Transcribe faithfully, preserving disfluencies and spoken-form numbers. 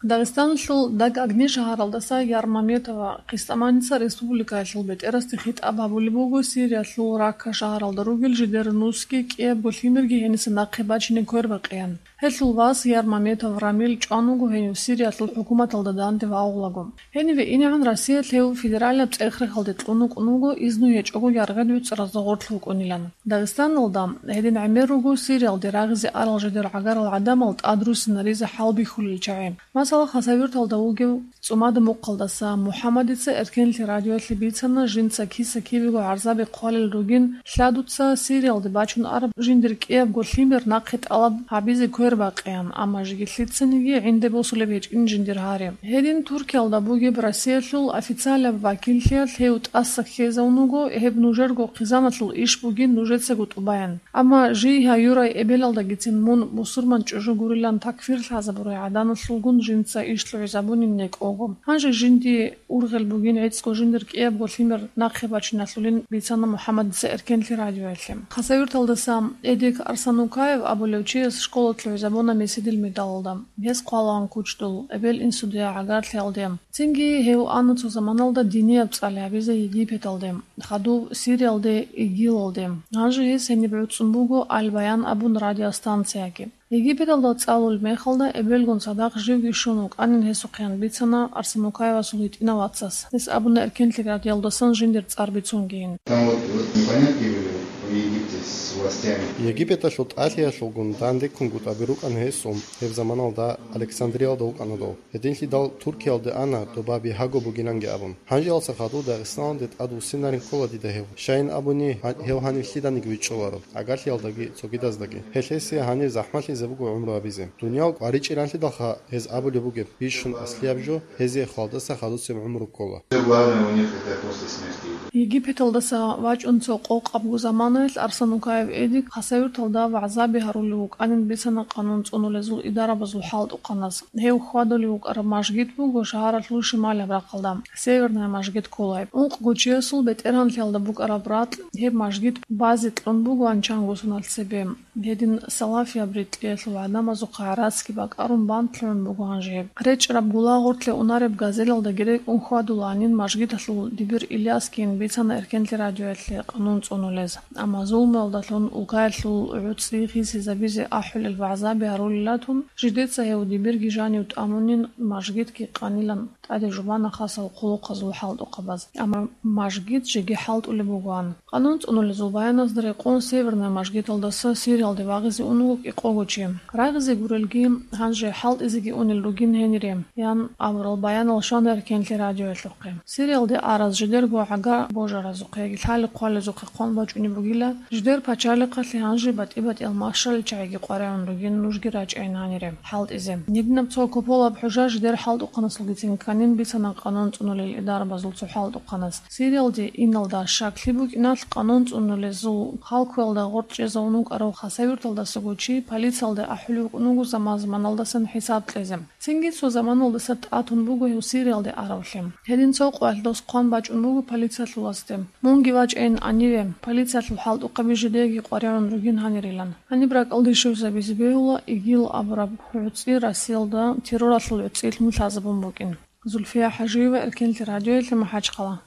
Дагъистаналъул Дагъ-Агни шагьаралдаса Ярмаметова Къистаманица республикаялъул бетӀерасде хитӀаб гьабулеб буго Сириялъул Ракка шагьаралда ругел жидер нусги кӀиябго лъимерги гьениса нахъе бачине квербакъеян. Гьелъул вас Ярмаметов Рамил чӀван вуго гьенив Сириялъул хӀукуматалда данде вагъулаго. Гьениве инегӀан Россиялъ гьев федералаб цӀех-рехалде кьун вукӀун вуго, изну гьечӀого яргъи-дуцӀаразда гъорлъ вукӀунилан. Дагъистаналда гьедин гӀемер руго Сириялде рагъизе арал жидер гӀагарал гӀадамал тӀадруссинаризе хӀалбихьулел чагӀи. Масала, Хасавюрталда вугев ЦӀумада Мухъалдаса МухӀаммадица Эркенлъи радиоялъе бицана, жинца киса-кибего гӀарзаби хъвалел ругин, лъадуца Сириялде бачун араб жиндир кӀиябго лъимер нахъе тӀалаб гьабизе квербакъеян, амма жеги лъицаниги гӀинде босулеб гьечӀин жиндир гьари. Гьедин Туркиялда бугеб Россиялъул официалаб вакиллъиялъ гьев тӀаса ккезавун вуго, гьеб нужерго хъизаналъул иш бугин нужецаго тӀубаян. Амма жий гьаюрай эбелалдагицин мун мусурман чӀужу гурилан такфир лъазабурай гӀаданалъулгун жинца иш лъугӀизабунин некӀого. Гьанже жинди ургъел бугин гӀицӀго жиндир кӀиябго лъимер нахъе бачиналъулин бицана МухӀаммадица Эркенлъи радиоялъе. Хасавюрталдаса Эдик Арсанукаев абулев чияс школа лъугӀизабуна меседил медалалда. Гьес хъвалаан кучӀдул, эбел-инсудия гӀагарлъиялде. Цинги гьев ана цо заманалда динияб цӀали гьабизе Египеталде, хадуб Сириялде, ИГИЛалде. Гьанже гьес гьениб гӀуцӀун буго Аль-Баян абун радиостанцияги. Египеталда цӀалул мехалда эбелгун цадахъ живги щун вукӀанин гьесухъеян бицана Арсанукаевасул гьитӀинав вацас. Гьес абуна Эркенлъи радиоялдасан жиндир цӀар бицунгейин. Там вот, вот непонятки были в Египте с властями. Египеталъул тӀалъиялъулгун дандеккунгутӀаби рукӀана гьесул, гьеб заманалда Александриялда вукӀана дов. Гьединлъидал Туркиялде ана, доба бигьаго бугиланги абун. Гьанжеялса хадув Дагъистаналде тӀадвуссинарин ккола дида гьев. Щайин абуни, гьа-, гьев гьанив лъиданиги вичӀчӀуларо, гӀагарлъиялдаги цогидаздаги. Гьелъ гьесие гьанир захӀмалъизе буго гӀумру гьабизе. Дуниял къваричӀеранлъидалха гьез абулеб бугеб, бищун аслияб жо, гьезие хвалдаса хадусеб гӀумру ккола. Всё главное у них это после смерти идёт. Египеталдаса вачӀун цо къокъабго заманаялъ Арсанукаев Эдик Хасавюрталда вагӀзаби гьарулев вукӀанин бицана къанун цӀунулезул идарабазул хӀалтӀухъанас. Гьев хьвадулев вукӀараб мажгит буго шагьаралъул шималаб рахъалда, Северная мажгит кколайб. Ункъго чиясул бетӀергьанлъиялда букӀараб ракь гьеб мажгит базе кьун бугоан чанго соналъ цебе. Гьедин салафияб рикьиялъул гӀадамазухъа гӀарацги бакӀарун бантлъун буго гьанже гьеб. РечӀараб гула гъортлъе унареб газелалдаги рекӀун хьвадулаанин мажгиталъул дибир Ильяскин бицана Эркенлъи радиоялъе къанун цӀунулез. Амма зулмуялдалъун улкаялъул гӀуцӀи хисизабизе ахӀулел вагӀзаби гьарулелатун, жидеца гьев дибирги жанив тӀамунин, мажгитги къанилан тӀаде жубана хасал хъулухъазул хӀалтӀухъабаз. Амма мажгит жеги хӀалтӀулеб бугоан. Къанун цӀунулезул баяназда рекъон Северная мажгиталдаса Сириялде вагъизе ун вуго кӀикъого чи. Рагъизе гурелги, гьанже хӀалтӀизеги унел ругин гьенире, ян абурал баянал щвана Эркенлъи радиоялъухъе. Сириялде араз жидерго гӀага божаразухъе яги лъали-хъвалезухъе хъван бачӀунеб бугила, жидер пачалихъалъе гьанже батӀи-батӀиял машалил чагӀиги къваригӀун ругин нужги рачӀайин гьанире хӀалтӀизе. Гьединаб цо куполаб хӀужа жидер хӀалтӀухъанасулгицин кканин бицана къанун цӀунулел идарабазул цо хӀалтӀухъанас. Сириялде иналда щаклъи букӀиналъ къанун цӀунулезул халкуялда гъоркь чӀезавун вукӀарав Хасавюрталдасаго чи полициялда ахӀулев вукӀун вуго заман-заманалдасан хӀисаб кьезе. Цинги цо заманалдаса тӀатун буго гьев Сириялде аравлъи. Гьедин цо къоялъ дос хъван бачӀун буго полициялъуласде. Мунги вачӀайин гьаниве, полициялъул хӀалтӀухъаби жидеги къваригӀун ругин гьанирилан. Гьаниб ракӀалде щвезабизе бегьула ИГИЛ абураб гӀуцӀи Россиялда терроралъул гӀуцӀилъун лъазабун букӀин. Зульфия ХӀажиева, Эркенлъи радиоялъе, МахӀачхъала.